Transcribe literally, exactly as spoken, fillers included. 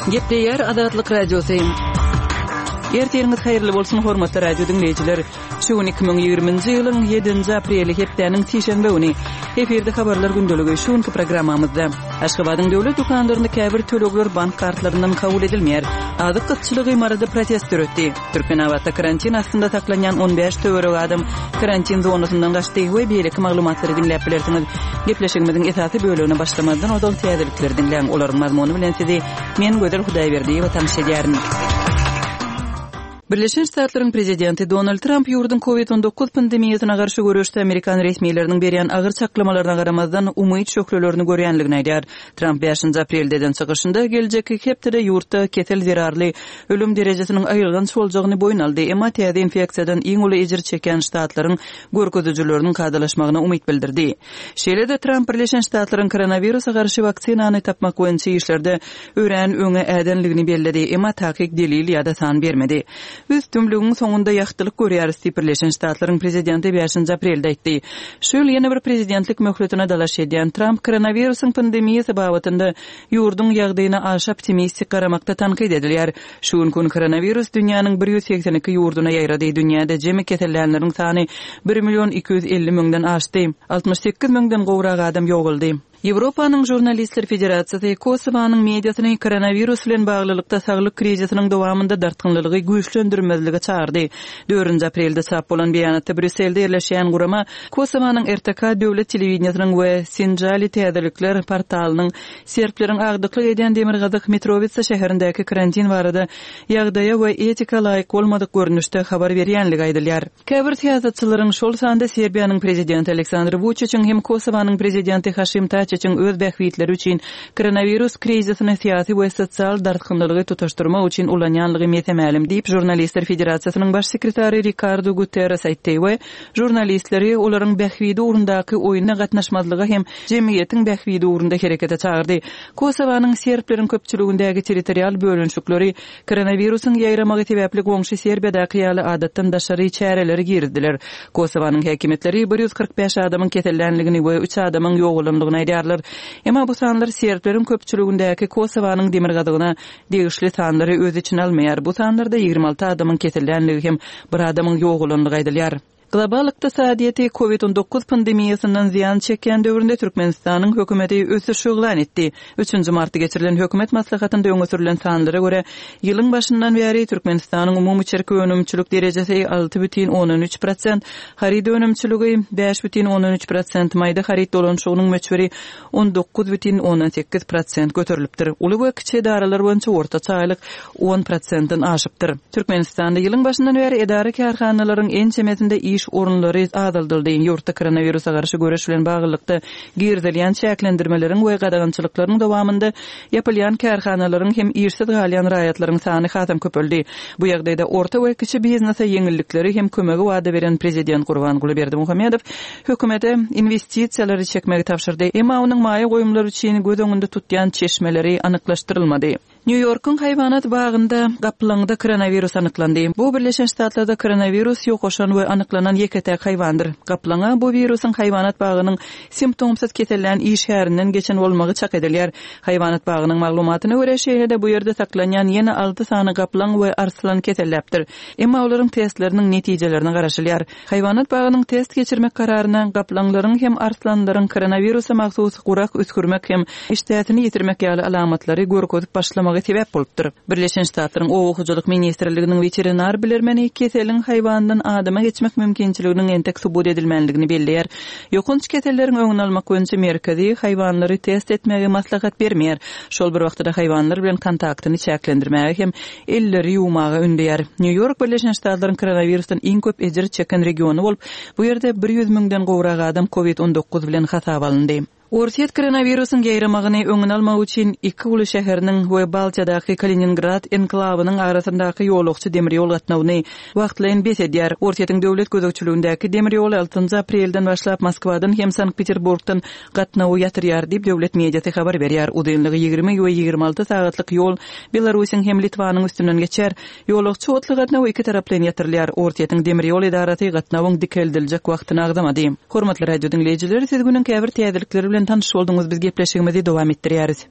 Gepleýär Azatlyk Radiosy. Ertiriňiz haýyrly bolsun, hormatly radio diňleýjiler. Şu gün iki müň ýigriminji ýylyň ýedinji apreli hepdäniň sişenbe güni. Efirde habarlar gündeligi şu günki programmamyzda. Aşgabadyň döwlet dükanlarynda käbir tölegler bank kartlaryndan kabul edilmeýär. Azyk gytçylygy Maryda protest döretdi. Türkmenabatda karantin astynda saklanýan on bäş töweregi adam karantin zonasyndan gaçdy we beýleki maglumatlary diňläp bilersiňiz. Gepleşigimiziň esasy bölegine başlamazdan ozal täzelikleri diňläň. Olaryň mazmuny bilen sizi men Gözel Hudaýberdiýewa tanyş edýärin. Birleşen Ştatlaryň prezidenti Donald Tramp ýurduň Covid on dokuz pandemiýasyna garşy göreşde amerikan resmileriniň berýän agyr çaklamalaryna garamazdan umyt şöhlelerini görýänligini aýdýar. Tramp bäşinji aprelde eden çykyşynda geljekki hepdede ýurtda kesel zerarly ölüm derejesiniň aýylganç boljagyny boýun aldy, emma täze infeksiýadan iň uly ejir çekýän ştatlaryň görkezijileriniň kadalaşmagyna umyt bildirdi. Şeýle-de Tramp Birleşen Ştatlaryň koronawirusa garşy waksinany tapmak boýunça işlerde örän öňe ädenligini belledi, emma takyk delil ýa-da san bermedi. Biz tümlügiň soňunda ýagtylyk görýäris diýip Birleşen Ştatlaryň prezidenti bäşinji aprelde aýtdy. Şu ýyl ýene bir prezidentlik möhletine dalaş edýän Tramp koronawirusyň pandemiýasy babatynda ýurduň ýagdaýyna aşa optimistik garamakda tankyt edilýär. Şu gün gün koronawirus dünýäniň bir ýüz segsen iki ýurduna ýaýrady. Dünýäde jemi kesellänleriň sany bir million iki ýüz elli müňden aşdy. Altmyş sekiz müňden gowrak adam ýogaldy. Ýewropanyň Žurnalistler Federasiýasy Kosowanyň mediasyny koronawirus bilen baglylykda saglyk krizisiniň dowamynda dartgynlylygy güýçlendirmezlige çagyrdy. Dördünji aprelde çap bolan beýanatda Brýusselde ýerleşýän gurama Kosowanyň R T K döwlet telewideniýesiniň we Sinjali täzelikler portalynyň serbleriň agdyklyk edýän Demirgazyk Mitrowica şäherindäki karantin barada ýagdaýa we etika laýyk bolmadyk görnüşde habar berýänligi aýdylýar. Käbir syýasatçylaryň, şol sanda Serbiýanyň prezidenti Aleksandr Vučićiň hem Kosowanyň prezidenti Haşim Taçiçiň öz bähbitleri üçin koronawirus krizisini syýasy we sosial dartgynlylygy tutaşdyrmak üçin ulanýanlygy mese-mälim diýip Žurnalistler Federasiýasynyň baş sekretary Ricardo Guterres aýtdy we žurnalistleri olaryň bähbidi ugrundaky oýuna gatnaşmazlyga hem jemgyýetiň bähbidi ugrunda herekete çagyrdy. Kosowanyň serbleriň köpçüligindäki territorial bölünişikleri koronawirusyň ýaýramagy sebäpli goňşy Serbiýadaky ýaly adatdan daşary çäreleri girdiler. Kosowanyň häkimiýetleri bir ýüz kyrk bäş adamyň kesellänligini we üç adamyň ýogalanlygyny aýdýarlar. Emma bu sanlar serbleriň köpçüligindäki Kosowanyň demirgazygyna degişli sanlary öz içine almaýar. Bu sanlarda ýigrimi alty adamyň kesellänligi hem bir adamyň ýogalanlygy aýdylýar. Global ykdysadyýeti Covid on dokuz pandemiýasyndan zyýan çekýän döwründe Türkmenistanyň hökümeti ösüş yglan etdi. Üçünji martda geçirilen hökümet maslahatynda öňe sürülen sanlara görä, ýylyň başyndan bäri Türkmenistanyň umumy içerki önümçilik derejesi alty bütin ondan üç prosent, haryt önümçiligi bäş bütin ondan üç prosent, maýda haryt dolanyşygynyň möçberi on dokuz bütin ondan sekiz prosent göterilipdir. Uly we kiçi edaralar boýunça ortaça aýlyk on prosentden aşypdyr. Türkmenistanda ýylyň başyndan bäri edara kärhanalaryň ençemesinde iş orunlary azaldyldy. Ýurtda koronawirusa garşy göreş bilen baglylykda girizilýän çäklendirmeleriň we gadagançylyklaryň dowamynda ýapylýan kärhanalaryň hem işsiz galýan raýatlaryň sany hasam köpeldi. Bu ýagdaýda orta we kiçi biznese ýeňillikleri hem kömegi wada beren prezident Gurbanguly Berdimuhamedow hökümete investisiýalary çekmegi tabşyrdy. Emma onuň maýa goýumlary üçin göz öňünde tutýan çeşmeleri anyklaşdyrylmady. New Yorkyň haýwanat bagynda gaplaňda koronawirus anyklandy. Bu Birleşen Ştatlarda koronawirus ýokaşan we anyklanan ýeke-täk haýwandyr. Gaplaňa bu wirusyň haýwanat bagynyň simptomsyz kesellän işgärinden geçen bolmagy çak edilýär. Haýwanat bagynyň maglumatyna görä şeýle-de bu ýerde saklanýan ýene alty sany gaplaň we arslan keselläpdir. Emma olaryň testleriniň netijelerine garaşylýar. Haýwanat bagynyň test geçirmek kararyna gaplaňlaryň hem arslanlaryň koronawirusa mahsus gurak üskürmek hem işdäsini ýitirmek ýaly alamatlary görkezip başlamagy sebäp bolupdyr. Birleşen Ştatlaryň Oba hojalyk ministrliginiň weterinar bilermeni keseliň haýwandan adama geçmek mümkinçiliginiň entek subut edilmänligini belleýär. Ýokanç keselleriň öňüni almak boýunça merkezi haýwanlary test etmegi maslahat bermeýär. Şol bir wagtda haýwanlar bilen kontaktyny çäklendirmäge hem elleri ýuwmaga ündeýär. New York Birleşen Ştatlaryň koronawirusdan iň köp ejir çeken regiony bolup, bu ýerde bir ýüz müňden gowrak adam Covid on dokuz bilen hasaba alyndy. Orsýet koronawirusyň ýaýramagyny öňüni almak üçin iki uly şäheriniň we Baltiýadaky Kaliningrad enklawynyň arasyndaky ýolagçy demir ýol gatnawyny wagtlaýyn bes edýär. Orsýetiň döwlet gözegçiligindäki demir ýoly altynjy aprelden başlap Moskwadan hem Sankt-Peterburgdan gatnawy ýatyrýar diýip döwlet mediasy habar berýär. Uzynlygy ýigrimi we ýigrimi alty sagatlyk ýol Belarusyň hem Litwanyň üstünden geçer. Ýolagçy otly gatnawy iki taraplaýyn ýatyrylýar. Orsýetiň demir ýol edarasy gatnawyň dikeldiljek wagtyny agzamady. Hormatly radio diňleýjiler, siz günüň käbir täzelikleri bilen tanyş bolduňyz. Biz gepleşigimizi dowam etdirýäris.